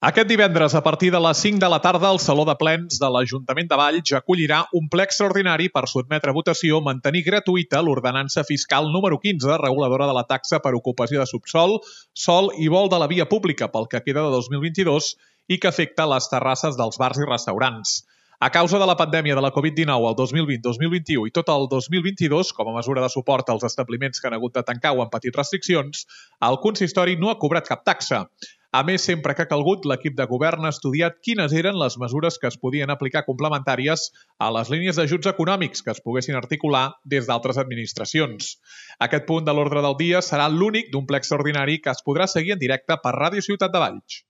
Aquest divendres, a partir de les 5 de la tarda, el Saló de Plens de l'Ajuntament de Valls acollirà un ple extraordinari per sotmetre a votació mantenir gratuïta l'ordenança fiscal número 15, reguladora de la taxa per ocupació de subsòl, sòl i vol de la via pública pel que queda de 2022 i que afecta les terrasses dels bars i restaurants. A causa de la pandèmia de la Covid-19 el 2020-2021 i tot el 2022, com a mesura de suport als establiments que han hagut de tancar o han patit restriccions, el consistori no ha cobrat cap taxa. A més, sempre que ha calgut, l'equip de govern ha estudiat quines eren les mesures que es podien aplicar complementàries a les línies d'ajuts econòmics que es poguessin articular des d'altres administracions. Aquest punt de l'ordre del dia serà l'únic d'un ple extraordinari que es podrà seguir en directe per Ràdio Ciutat de Valls.